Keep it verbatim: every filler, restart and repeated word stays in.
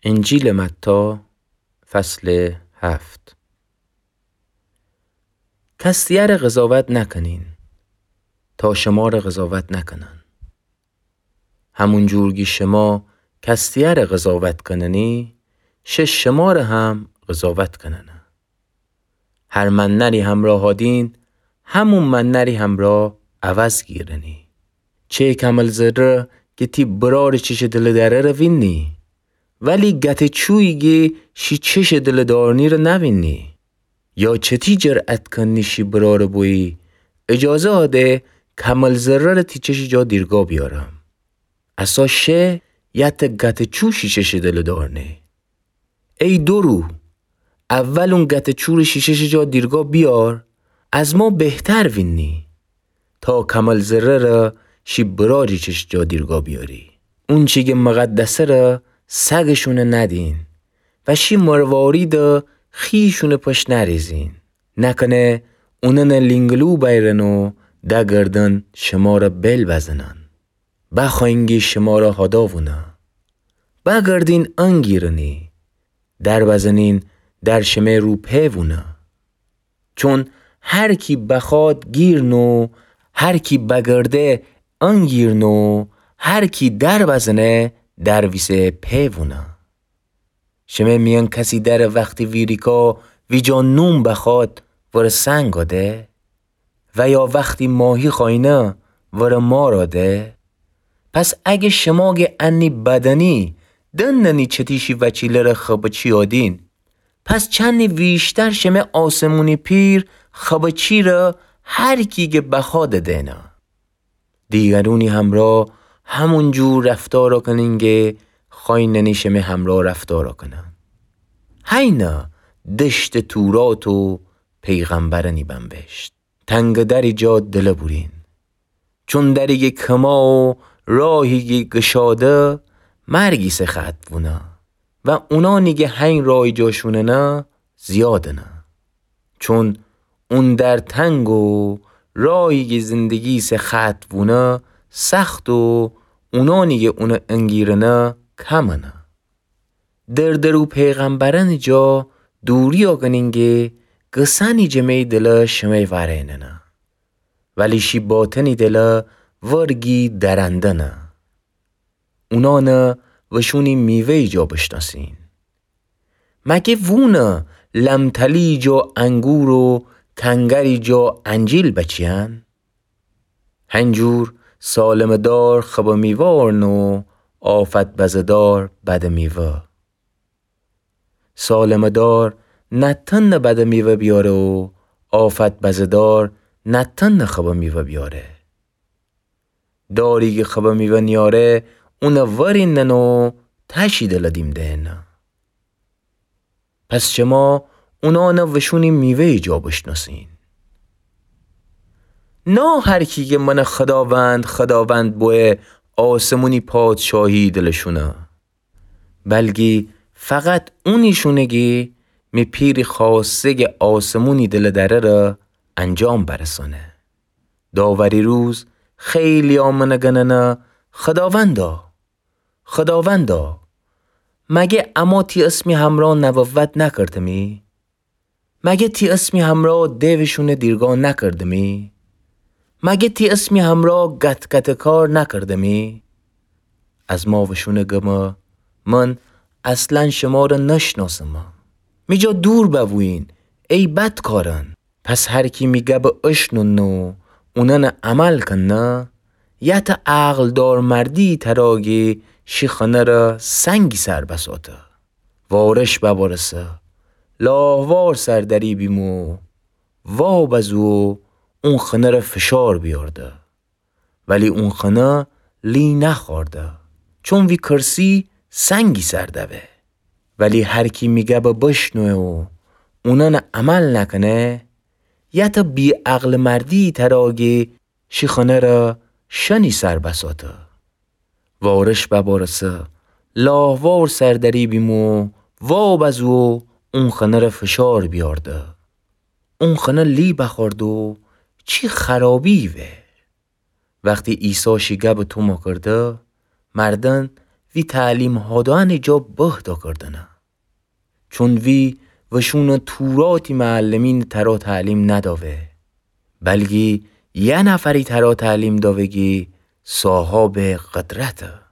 انجیلٚ متی، فصلٚ هفت. کس دیگرٚ قضاوت نکنین، تا شمرَ قضاوت نکنن. همون جور کی شمر کس دیگرَ قضاوت کننی، شه شمرَ هم قضاوت کننه. هر منّری همرأ هادین، همون منّری همرأ عوض گیرنی. چه کمل زرّه کی تی برارٚ چشٚ دلٚ دررَ وینی، ولی گتٚ چویی کی شی چشٚ دلٚ دارنی‌رَ نوینی؟ یا چتی جرأت کنی شی برارَ بویی، اجازه آده کمل زرّه‌رَ تی چشٚ جا دیرگا بیارم؟ اسا شه یا ته گتٚ چو شی چشٚ دلٚ دارنی؟ ای دورو، اول اون گتٚ چورَ شی چشٚ جا دیرگا بیار، از ما بهتر وینی تا کمل زرّه‌رَ شی برارٚ چشٚ جا دیرگا بیاری. اونچی کی مقدسه‌رَ سگشونَ ندین و شی مرواریدَ خویشونٚ پشت نریزین. نکنه اونأنَ لینگلو بیرن و دگردن شمرَ بیل بزنن. بخوأیین کی شمرَ هادا وونه، بگردین انگیرنی، در بزنین در شمه رو په وونه. چون هر کی بخوأد گیرنو، هر کی بگرده انگیرنو، هر کی در بزنه در ویسه په وونه. شمه میأن کسی دره وختی ویریکا ویجا نون بخوأد ورَ سنگ آده؟ و یا وختی ماهی خوأینه ورَ مار آده؟ پس اگه شمره کی انّی بدنی دننی چتی شی وچیله‌رَ خبه چی آدین، پس چنی ویشتر شمه آسمونی پیر خبه چی‌رَ هر کی کی بخوأد دئنه. دیگرونی همرأ همون جور رفتار کنین کی خوأییننی شمه همرأ رفتار کنن. هینه دشتٚ تورات و پیغمبرأنی بنوشت. تنگٚ دری جا دلٚ بورین. چون دری کی کما و راهی کی گشاده مرگی سه خط وونه و اونأنی کی هین راهی جا شوننه زیادنه. چون اون در تنگ و راهی کی زندگی سه خط وونه سخت و اونأنی کی اونَ انگیرنه کمنه. دردرو پیغمبرأنٚ جا دوری آگنین کی گسأنی جٚه می دلٚ شمه واریننه، ولی شی باطنی دلٚ ورگی درندنه. اونأنَ وشونی میوه‌یٚ جا بشناسین. مگه وونَ لمتلی جا انگور و کنگری جا انجیل بچیأن؟ هنجور سالمٚ دار خبٚ میوه آرنه و آفت بزه‌دار بدٚ میوه. سالمٚ دار نتأنه بدٚ میوه بیاره و آفت بزه‌دار نتأنه خبٚ میوه بیاره. داری کی خبٚ میوه نیاره، اونَ وریننه و تأشی دلٚ دیم دئنه. پس شما اونأنَ وشونی میوه‌یٚ جا بشناسین. نه هر کی کی منَ خداوند، خداوند بویه آسمونی پادشاهی دلٚ شونه، بلکی فقط اونی شونه کی می پیرٚ خوأسته کی آسمونی دلٚ دره‌رَ انجام برسأنه. داوری روز خیلی‌یأ منَ گننه: خداوندا، خداوندا، مگه اما تی اسمی همرأ نبوت نکردمی؟ مگه تی اسمی همرأ دیوٚ شونَ دیرگا نکردمی؟ مگه تی اسمی همرأ گت‌گتٚ کار نکردمی؟ از ما وشونَ گمه: من اصلاً شمرَ نشناسمه. می جا دور بوبویین، ای بدکارأن. پس هر کی می گبَ اشنونه و اونأنَ عمل کنه، یه تا عقلدار مردی تره کی شی خانه‌رَ سنگی سر بساته. وارش ببارسه، لاهوار سر دری بیمو، وا بزو و اون خانه‌رَ فشار بیارده. ولی اون خانه لی نخوأرده، چون وی کرسی سنگی سر دوه. ولی هر کی می گبَ بشنوه و اونأنَ عمل نکنه، یه تا بی‌عقلٚ مردی تره کی شی خانه‌رَ شنی سر بساته. وارش ببارسه، لاهوار سر دری بیمو، وا بزو و اون خانه‌رَ فشار بیارده. اون خانه لی بخوأرده و چی خرابی وه. وختی عیسی شی گبَ تومه کرده، مردن وی تعلیم هادوئنٚ جا بهتأ کردنه. چون وی وشونٚ توراتی معلمینٚ ترا تعلیم ندأوه، بلکی یه نفری ترا تعلیم دأوه کی صاحابٚ قدرته.